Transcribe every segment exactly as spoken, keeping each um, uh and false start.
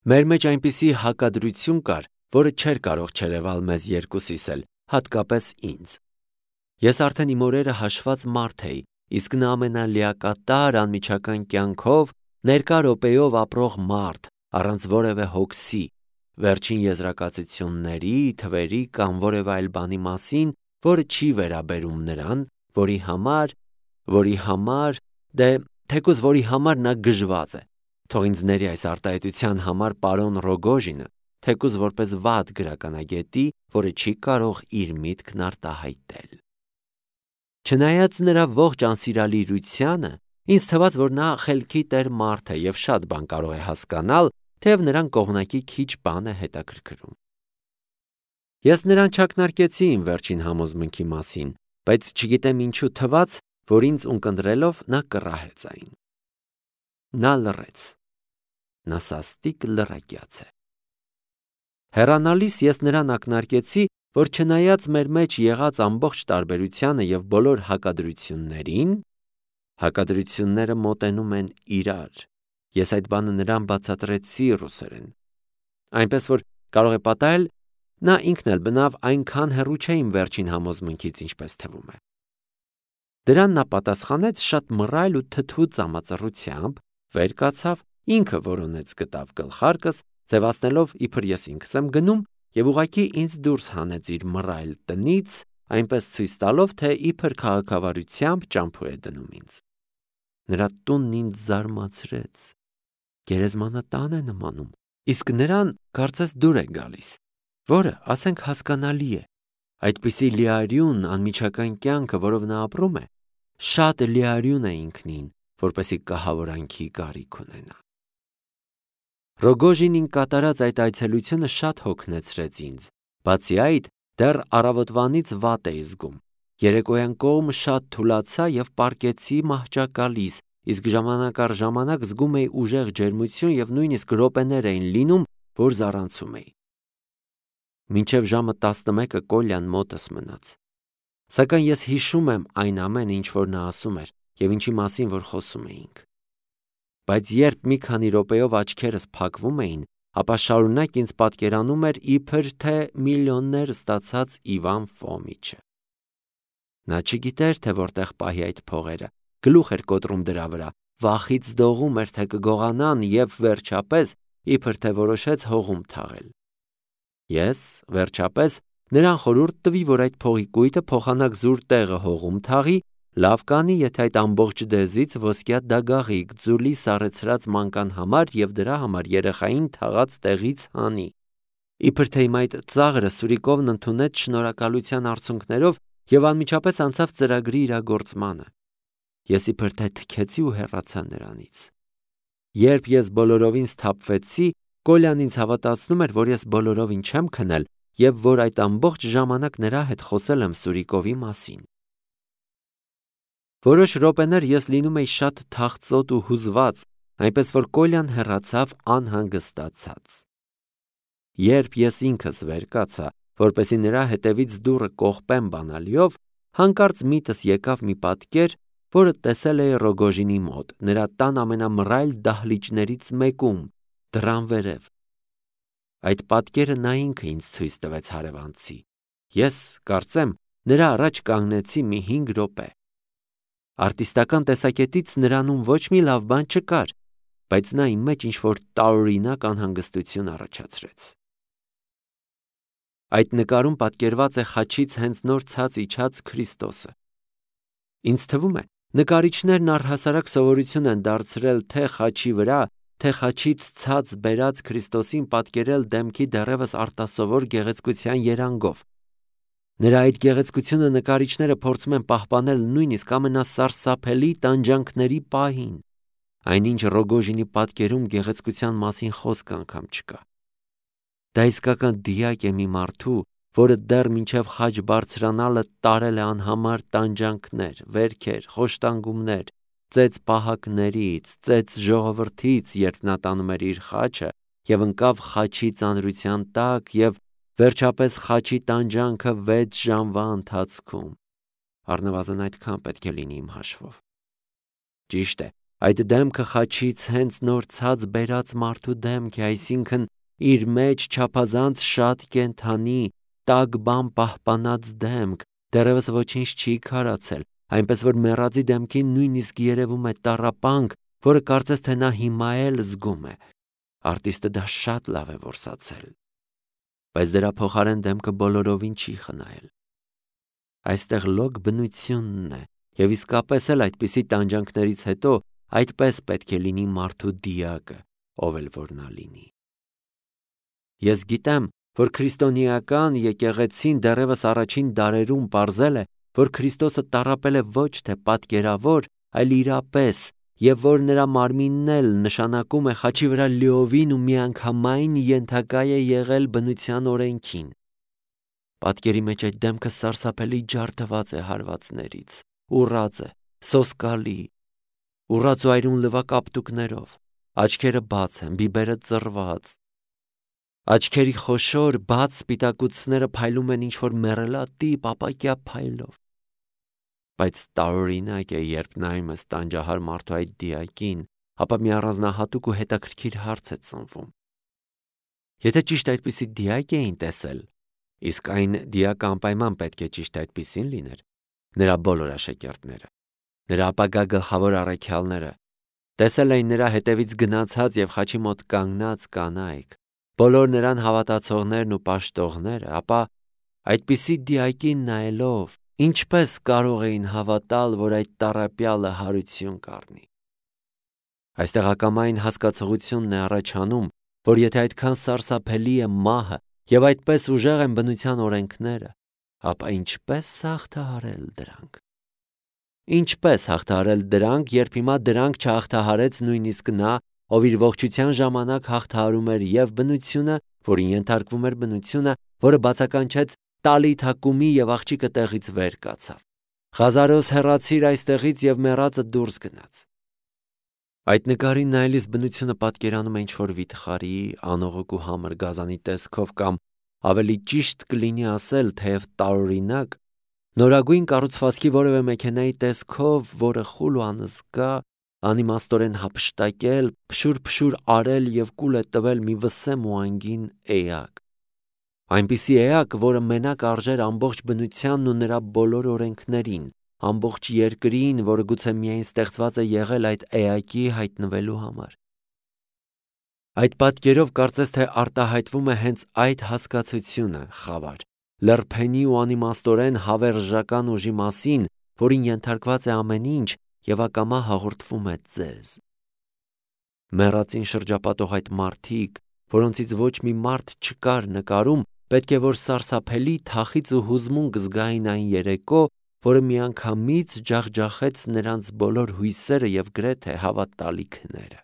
Մեր մեջ այնպիսի հակադրություն կար, որը չէր կարող չերևալ մեզ երկուսիս էլ, հատկապես ինձ։ Ես արդեն իմ օրերը հաշված մարդ էի, իսկ նա ամենալիակատար անմիջական կյանքով, ներկա րոպեով ապրող մարդ, առանց որևէ հոգսի, վերջին եզրակացությունների, թվերի կամ որևէ այլ բանի մասին, որը չի վերաբերում նրան, որի համար, որի համար, դե թեկուզ որի համար նա գժված է։ Թող ինձ ների այս արտահայտության համար պարոն Ռոգոժինը, թեկուզ որպես վատ գրականագետի, որը չի կարող իր միտքն արտահայտել։ Չնայած նրա ողջ անսիրալիրությանը, ինձ թվաց, որ նա խելքի տեր մարդ է և շատ բան կարող է հասկանալ, թեև նրան կողմնակի քիչ բան է հետաքրքրում։ Ես նրան չակնարկեցի իմ վերջին համոզմունքի մասին, բայց չգիտեմ ինչու թվաց, որ ինձ ունկնդրելով նա կռահեց այն։ Նա լռեց։ Նա սաստիկ լռակյաց է։ Հեռանալիս ես նրան ակնարկեցի, որ չնայած մեր մեջ եղած ամբողջ տարբերությանը և բոլոր հակադրություններին, հակադրությունները մոտենում են իրար, ես այդ բանը նրան բացատրեցի ռուսերեն, այնպես որ կարող է պատահել, նա ինքն էլ բնավ այնքան հեռու չէ իմ վերջին համոզմունքից, ինչպես թվում է։ Դրան նա պատասխանեց շատ մռայլ ու թթու ծամածռությամբ, վեր կացավ, ինքը որոնեց գտավ գլխարկս, ձևացնելով իբր ես ինքս եմ գնում, և ուղղակի ինձ դուրս հանեց իր մռայլ տնից, այնպես ցույց տալով, թե իբր քաղաքավարությամբ ճամփու է դնում ինձ։ Նրա տունն ինձ զարմացրեց, գերեզմանատան է նմանում, իսկ նրան կարծես դուր է գալիս, որը, ասենք, հասկանալի է։ Այդպիսի լիարյուն անմիջական կյանքը, որով նա ապրում է, շատ լիարյուն է ինքնին, որպեսզի կահավորանքի կարիք ունենա։ Ռոգոժինին կատարած այդ այցելությունը շատ հոգնեցրեց ինձ, բացի այդ, դեռ առավոտվանից վատ էի զգում։ Երեկոյան կողմ շատ թուլացա և պառկեցի մահճակալիս, իսկ ժամանակ առ ժամանակ զգում էի ուժեղ ջերմություն և նույնիսկ րոպեներ էին լինում, որ զառանցում էի։ Մինչև ժամը տասնմեկը Կոլյան մոտս մնաց։ Սակայն ես հիշում եմ այն ամենը, ինչ որ նա ասում էր և ինչի մասին որ խոսում էինք։ Բայց երբ մի քանի րոպեով աչքերս փակվում էին, ապա շարունակ ինձ պատկերանում էր իբր թե միլիոններ ստացած Իվան Ֆոմիչը։ Նա չգիտեր, թե որտեղ պահի այդ փողերը, գլուխ էր կոտրում դրա վրա, վախից դողում էր, թե կգողանան և վերջապես իբր թե որոշեց հողում թաղել։ Ես, վերջապես, նրան խորհուրդ տվի, որ այդ փողի կույտը փոխանակ զուր տեղը հողում թաղի, լավ կանի, եթե այդ ամբողջ դեզից ոսկյա դագաղիկ ձուլի սառեցրած մանկան համար և դրա համար երեխային թաղած տեղից հանի։ Իբր թե իմ այդ ծաղրը Սուրիկովն ընդունեց շնորհակալության արցունքներով և անմիջապես անցավ ծրագրի իրագործմանը։ Ես իբր թե թքեցի ու հեռացա նրանից։ Երբ ես բոլորովին սթափվեցի, Կոլյան ինձ հավատացնում էր, որ ես բոլորովին չեմ քնել և որ այդ ամբողջ ժամանակ նրա հետ խոսել եմ Սուրիկովի մասին։ Որոշ րոպեներ ես լինում էի շատ թախծոտ ու հուզված, այնպես որ Կոլյան հեռացավ անհանգստացած։ Երբ ես ինքս վեր կացա, որպեսզի նրա հետևից դուռը կողպեմ բանալիով, հանկարծ միտս եկավ մի պատկեր, որը տեսել էի Ռոգոժինի մոտ, նրա տան ամենամռայլ դահլիճներից մեկում, դռան վերև։ Այդ պատկերը նա ինքը ինձ ցույց տվեց հարևանցի։ Ես, կարծեմ, նրա առաջ կանգնեցի մի հինգ րոպե։ Արտիստական տեսակետից նրանում ոչ մի լավ բան չկար, բայց նա իմ մեջ ինչ-որ տարօրինակ անհանգստություն առաջացրեց։ Այդ նկարում պատկերված է խաչից հենց նոր ցած իջած Քրիստոսը։ Ինձ թվում է, նկարիչներն առհասարակ սովորություն են դարձրել թե խաչի վրա, թե խաչից ցած բերած Քրիստոսին պատկերել դեմքի դեռևս արտասովոր գեղեցկության երանգով։ Նրա այդ գեղեցկությունը նկարիչները փորձում են պահպանել նույնիսկ ամենասարսափելի տանջանքների պահին, այնինչ Ռոգոժինի պատկերում գեղեցկության մասին խոսք անգամ չկա։ Դա իսկական դիակ է մի մարդու, որը դեռ մինչև խաչ բարձրանալը տարել է անհամար տանջանքներ, վերքեր, խոշտանգումներ, ծեծ պահակներից, ծեծ ժողովրդից, երբ նա տանում էր իր խաչը և ընկավ խաչի ծանրության տակ և վերջապես խաչի տանջանքը վեց ժամվա ընթացքում։ Առնվազն այդքան պետք է լինի իմ հաշվով։ Ճիշտ է, Այդ դեմքը խաչից հենց նոր ցած բերած մարդու դեմք է, այսինքն իր մեջ չափազանց շատ կենդանի, տաք բան պահպանած դեմք, դեռևս ոչինչ չի քարացել, այնպես որ մեռածի դեմքին նույնիսկ երևում է տառապանք, որը կարծես թե նա հիմա էլ զգում է։ Արտիստը դա շատ լավ է որսացել։ Բայց դրա փոխարեն դեմքը բոլորովին չի խնայել։ Այստեղ լոկ բնությունն է, եւ իսկապես էլ այդպիսի տանջանքներից հետո այդպես պետք է լինի մարդու դիակը, ով էլ որ նա լինի։ Ես գիտեմ, որ քրիստոնեական եկեղեցին դեռևս առաջին դարերում պարզել է, որ Քրիստոսը տառապել է ոչ թե պատկերավոր, այլ իրապես, եւ որ նրա մարմինն էլ նշանակում է խաչի վրա լիովին ու միանգամայն ենթակա է եղել բնության օրենքին։ Պատկերի մեջ այդ դեմքը սարսափելի ջարդված է հարվածներից, ուռած է, սոսկալի, ուռած ու այրուն լվակապտուկներով, աչքերը բաց են, բիբերը ծռված, աչքերի խոշոր բաց սպիտակուցները փայլում են ինչ-որ մեռելատիպ ապակյա փայլով։ Բայց տարօրինակ է, երբ նայում ես տանջահար մարդու այդ դիակին, ապա մի առանձնահատուկ ու հետաքրքիր հարց է ծնվում։ Եթե ճիշտ այդպիսի դիակ էին տեսել, իսկ այն դիակը անպայման պետք է ճիշտ այդպիսին լիներ, նրա բոլոր աշակերտները, նրա ապագա գլխավոր առաքյալները, տեսել էին նրա հետևից գնացած եւ խաչի մոտ կանգնած կանայք, բոլոր նրան հավատացողներն ու պաշտողները, ապա այդպիսի դիակին նայելով ինչպես կարող էին հավատալ, որ այդ տառապյալը հարություն կառնի։ Այստեղ ակամային հասկացողությունն է առաջանում, որ եթե այդքան սարսափելի է մահը եւ այդպես ուժեղ են բնության օրենքները, ապա ինչպես հաղթահարել դրանք։ Ինչպես հաղթահարել դրանք, երբ հիմա դրանք չհաղթահարեց նույնիսկ նա, ով իր ողջության ժամանակ հաղթահարում էր եւ բնությունը, որին ենթարկվում էր բնությունը, որը բացականչեց տալի թակումի եւ աղջիկը տեղից վեր կացավ։ Խազարոս հեռացիր այստեղից եւ մեռածը դուրս գնաց։ Այդ նկարին նայելիս բնությունը պատկերանում է ինչ-որ վիթխարի, անողոք ու համր գազանի տեսքով կամ ավելի ճիշտ կլինի ասել, թեև տարօրինակ, նորագույն կառուցվածքի որևէ մեքենայի տեսքով, որը խուլ ու անզգա, անիմաստորեն հափշտակել, փշուր-փշուր արել եւ կուլ է տվել մի վսեմ ու անգին էակ։ Այնպիսի էակ, որը մենակ արժեր ամբողջ բնությանն ու նրա բոլոր օրենքներին, ամբողջ երկրին, որը գուցե միայն ստեղծված է եղել այդ էակի հայտնվելու համար։ Այդ պատկերով կարծես թե արտահայտվում է հենց այդ հասկացությունը, խավար, լրփենի ու անիմաստորեն հավերժական ուժի մասին, որին ենթարկված է ամեն ինչ եւ ակամա հաղորդվում է ձեզ։ Մեռածին շրջապատող այդ մարդիկ, որոնցից ոչ մի մարդ չկար նկարում, պետք է որ սարսափելի թախից ու հուզմունք զգային այն երեկո, որը միանգամից ջախջախեց նրանց բոլոր հույսերը եւ գրեթե հավատալիքները։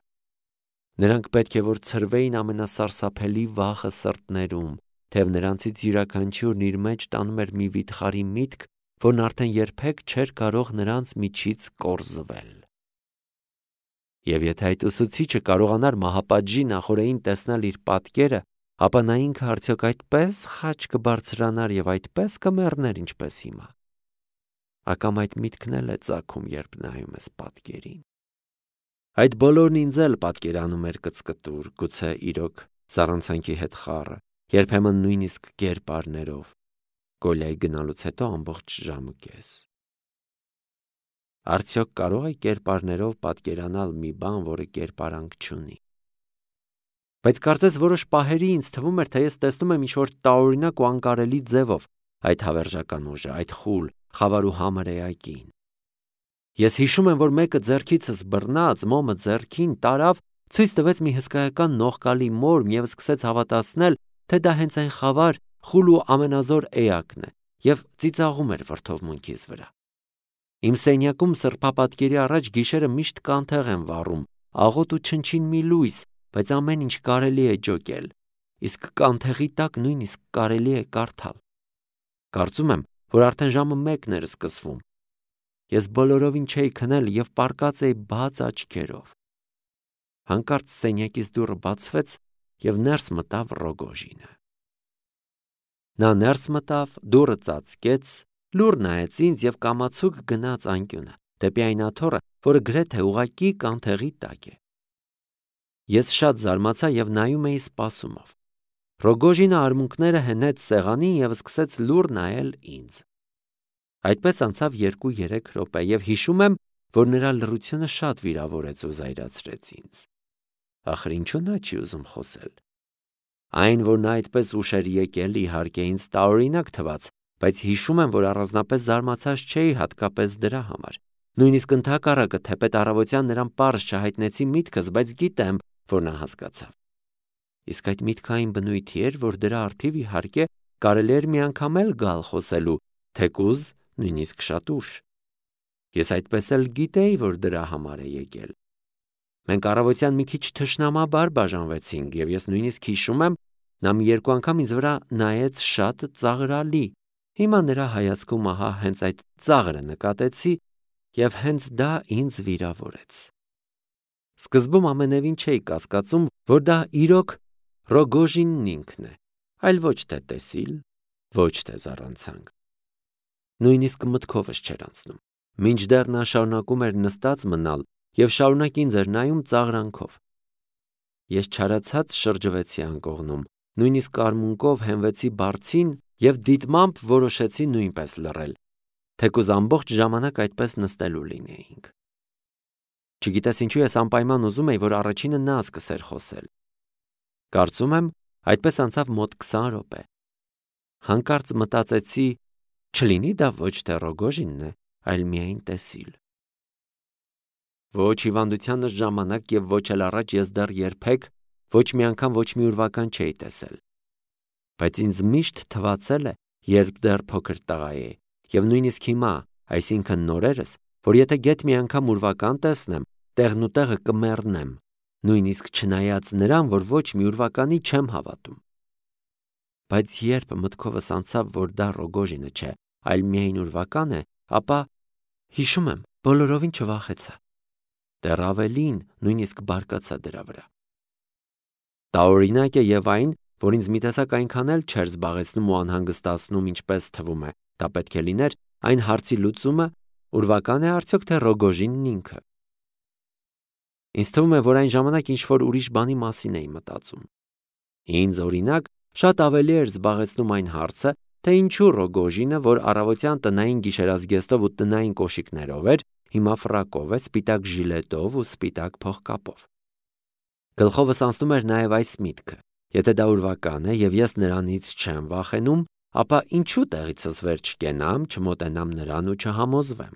Նրանք պետք է որ ցրվեին ամենասարսափելի վախը սրտներում, թեև նրանցից յուրաքանչյուրն իր մեջ տանում էր մի վիթխարի միտք, որն արդեն երբեք չէր կարող նրանց միջից կորզվել։ Եվ եթե այդ ուսուցիչը կարողանար մահապատժի նախօրեին տեսնել իր պատկերը, ապա նա ինքը արդյոք այդպես խաչ կբարձրանար եւ այդպես կմեռներ, ինչպես հիմա։ Ակամ այդ միտքն էլ է ծագում, երբ նայում ես պատկերին։ Այդ բոլորն ինձ էլ պատկերանում էր կծկտուր, գուցե իրոք զառանցանքի հետ խառը, երբեմն նույնիսկ կերպարներով, Կոլյայի գնալուց հետո ամբողջ ժամը կես։ Արդյոք կարող է կերպարներով պատկերանալ մի բան, որը կերպարանք չունի։ Բայց կարծես որոշ պահերի ինձ թվում էր, թե ես տեսնում եմ ինչ-որ տարօրինակ ու անկարելի ձևով այդ հավերժական ուժը, այդ խուլ, խավար ու համր էակին։ Ես հիշում եմ, որ մեկը ձեռքիցս բռնած, մոմը ձեռքին տարավ, ցույց տվեց մի հսկայական նողկալի մորմ եւ սկսեց հավատացնել, թե դա հենց այն խավար, խուլ ու ամենազոր էակն է, եւ ծիծաղում էր վրդովմունքիս վրա։ Իմ սենյակում սրբապատկերի առաջ գիշերը միշտ կանթեղ են վառում, աղոտ ու չնչին մի լույս, բայց ամեն ինչ կարելի է ջոկել, իսկ կանթեղի տակ նույնիսկ կարելի է կարդալ։ Կարծում եմ, որ արդեն ժամը մեկն էր սկսվում։ Ես բոլորովին չէի քնել եւ պառկած էի բաց աչքերով։ Հանկարծ սենյակից դուռը բացվեց եւ ներս մտավ Ռոգոժինը։ Նա ներս մտավ, դուռը ծածկեց, լուռ նայեց ինձ եւ կամացուկ գնաց անկյունը, դեպի այն աթոռը, որը գրեթե ուղղակի կանթեղի տակ է։ Ես շատ զարմացա եւ նայում էի սպասումով։ Ռոգոժինը արմունկները հենեց սեղանին եւ սկսեց լուռ նայել ինձ։ Այդպես անցավ երկու-երեք րոպե եւ հիշում եմ, որ նրա լռությունը շատ վիրավորեց ու զայրացրեց ինձ։ Ախր ինչու նա չի ուզում խոսել։ Այն, որ նա այդպես ուշ էր եկել, իհարկե ինձ տարօրինակ թվաց, բայց հիշում եմ, որ առանձնապես զարմացած չէի հատկապես դրա համար։ Նույնիսկ ընդհակառակը, թեպետ առավոտյան նրան պարզ չհայտնեցի միտքս, բայց գիտեմ, որ նա հասկացավ։ Իսկ այդ միտքը այն բնույթի էր, որ դրա առթիվ իհարկե կարելի էր մի անգամ էլ գալ խոսելու, թեկուզ նույնիսկ շատ ուշ։ Ես այդպես էլ գիտեի, որ դրա համար է եկել։ Մենք առավոտյան մի քիչ թշնամաբար բաժանվեցինք եւ ես նույնիսկ հիշում եմ, նա մի երկու անգամ ինձ վրա նայեց շատ ծաղրալի։ Հիմա նրա հայացքում ահա հենց այդ ծաղրը նկատեցի եւ հենց դա ինձ վիրավորեց։ Սկզբում ամենևին չէի կասկածում, որ դա իրոք Ռոգոժինն ինքն է, այլ ոչ թե տեսիլ, ոչ թե զառանցանք։ Նույնիսկ մտքովս չէր անցնում։ Մինչդեռ նա շարունակում էր նստած մնալ եւ շարունակ ինձ էր նայում ծաղրանքով։ Ես չարացած շրջվեցի անկողնում, նույնիսկ արմունկով հենվեցի բարձին եւ դիտմամբ որոշեցի նույնպես լռել, թեկուզ ամբողջ ժամանակ այդպես նստելու լինեինք։ Չգիտես ինչու ես անպայման ուզում էի, որ առաջինը նա սկսեր խոսել։ Կարծում եմ, այդպես անցավ մոտ քսան րոպե։ Հանկարծ մտածեցի, չլինի դա ոչ թե Ռոգոժինն է, այլ միայն տեսիլ։ Ոչ հիվանդությանս ժամանակ եւ ոչ էլ առաջ ես դեռ երբեք ոչ մի անգամ ոչ մի ուրվական չէի տեսել։ Բայց ինձ միշտ թվացել է, երբ դեռ փոքր տղա էի, եւ նույնիսկ հիմա, այսինքն նորերս, որ եթե գեթ մի անգամ ուրվական տեսնեմ, տեղն ու տեղը կմեռնեմ, նույնիսկ չնայած նրան, որ ոչ մի ուրվականի չեմ հավատում։ Բայց երբ մտքովս անցավ, որ դա Ռոգոժինը չէ, այլ միայն ուրվական է, ապա հիշում եմ, բոլորովին չվախեցա։ Դեռ ավելին, նույնիսկ բարկացա դրա վրա։ Տարօրինակ է եւ այն, որ ինձ մի տեսակ այնքան էլ չէր զբաղեցնում ու անհանգստացնում, ինչպես թվում է, դա պետք է լիներ այն հարցի լուծումը, ուրվական է արդյոք թե Ռոգոժինն ինքը։ Ինձ թվում է, որ այն ժամանակ ինչ-որ ուրիշ բանի մասին էի մտածում։ Ինձ օրինակ շատ ավելի էր զբաղեցնում այն հարցը, թե ինչու Ռոգոժինը, որ առավոտյան տնային գիշերազգեստով ու տնային կոշիկներով էր, հիմա ֆրակով է, սպիտակ ժիլետով ու սպիտակ փողկապով։ Գլխովս անցնում էր նաև այս միտքը. եթե դա ուրվական է եւ ես նրանից չեմ վախենում, ապա ինչու տեղիցս վեր չկենամ, չմոտենամ նրան ու չհամոզվեմ։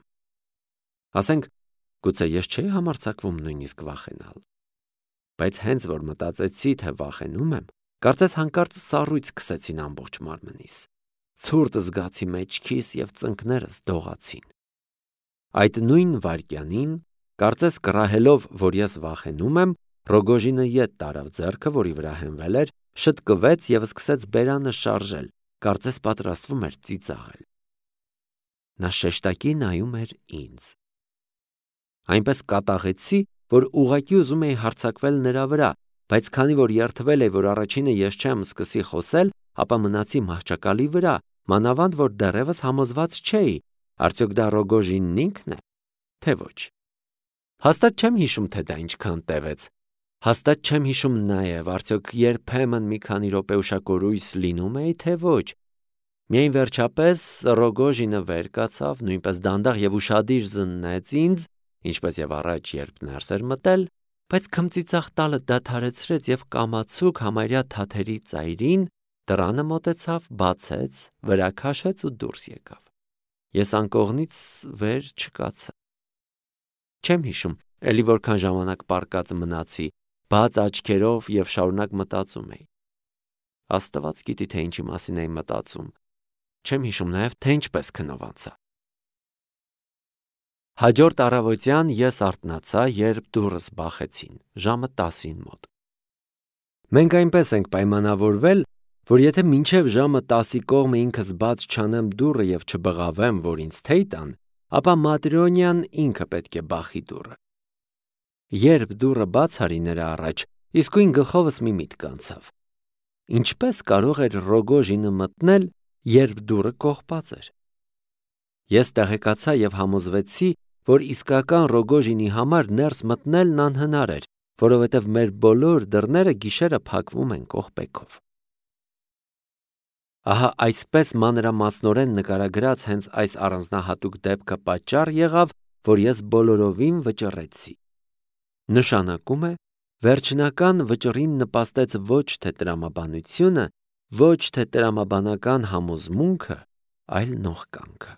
Ասենք, գուցե ես չէի համարձակվում նույնիսկ վախենալ։ Բայց հենց որ մտածեցի, թե վախենում եմ, կարծես հանկարծ սառույց քսեցին ամբողջ մարմնիս։ Ցուրտ զգացի մեջքիս եւ ծնկներս դողացին։ Այդ նույն վայրկյանին, կարծես կռահելով, որ ես վախենում եմ, Ռոգոժինը ետ տարավ ձեռքը, որի վրա հենվել էր, շտկվեց եւ սկսեց բերանը շարժել, կարծես պատրաստվում էր ծիծաղել։ Նա շեշտակի նայում էր ինձ։ Այնպես կատաղեցի, որ ուղղակի ուզում էի հարձակվել նրա վրա, բայց քանի որ երդվել էի, որ առաջինը ես չեմ սկսի խոսել, ապա մնացի մահճակալի վրա, մանավանդ որ դեռևս համոզված չէի, արդյոք դա Ռոգոժինն ինքն է, թե ոչ։ Հաստատ չեմ հիշում, թե դա ինչքան տևեց։ Հաստատ չեմ հիշում նաև, արդյոք երբեմն մի քանի րոպե ուշակորույս լինում էի, թե ոչ։ Միայն վերջապես Ռոգոժինը վեր կացավ, նույնպես դանդաղ եւ ուշադիր զննեց ինձ, ինչպես եւ առաջ, երբ ներս էր մտել, բայց քմծիծաղ տալը դադարեցրեց եւ կամացուկ համարյա թաթերի ծայրին դռանը մոտեցավ, բացեց, վրա քաշեց ու դուրս եկավ։ Ես անկողնից վեր չկացա։ Չեմ հիշում, էլի որքան ժամանակ պառկած մնացի, բաց աչքերով եւ շարունակ մտածում էի։ Աստված գիտի, թե ինչի մասին էի մտածում։ Չեմ հիշում նաև, թե ինչպես քնով անցա։ Հաջորդ առավոտյան ես արթնացա, երբ դուռս բախեցին, ժամը տասին մոտ։ Մենք այնպես ենք պայմանավորվել, որ եթե մինչև ժամը տասի կողմը ինքս բաց չանեմ դուռը եւ չբղավեմ, որ ինձ թեյ տան, ապա Մատրոնյան ինքը պետք է բախի դուռը։ Երբ դուռը բաց արի նրա առաջ, իսկույն գլխովս մի միտք անցավ։ Ինչպես կարող էր Ռոգոժինը մտնել, երբ դուռը կողպած էր։ Ես տեղեկացա եւ համոզվեցի, որ իսկական Ռոգոժինի համար ներս մտնելն անհնար էր, որովհետև մեր բոլոր դռները գիշերը փակվում են կողպեքով։ Ահա այսպես մանրամասնորեն նկարագրած հենց այս առանձնահատուկ դեպքը պատճառ եղավ, որ ես բոլորովին վճռեցի։ Նշանակում է, վերջնական վճռին նպաստեց ոչ թե տրամաբանությունը, ոչ թե տրամաբանական համոզմունքը, այլ նողկանքը։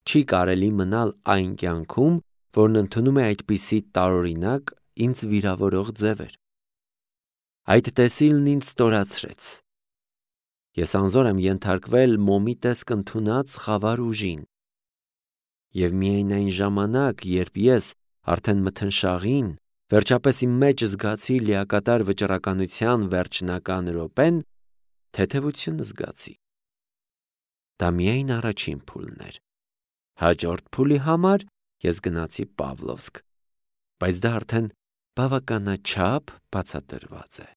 Չի կարելի մնալ այն կյանքում, որն ընդունում է այդպիսի տարօրինակ, ինձ վիրավորող ձևեր։ Այդ տեսիլն ինձ ստորացրեց։ Ես անզոր եմ ենթարկվել մոմի տեսք ընդունած խավար ուժին։ Եվ միայն այն ժամանակ, երբ ես արդեն մթնշաղին, վերջապես իմ մեջ զգացի լիակատար վճռականության վերջնական րոպեն, թեթևություն զգացի։ Դա միայն առաջին փուլն էր։ Հաջորդ փուլի համար ես գնացի Պավլովսկ, բայց դա արդեն բավականաչափ բացատրված է։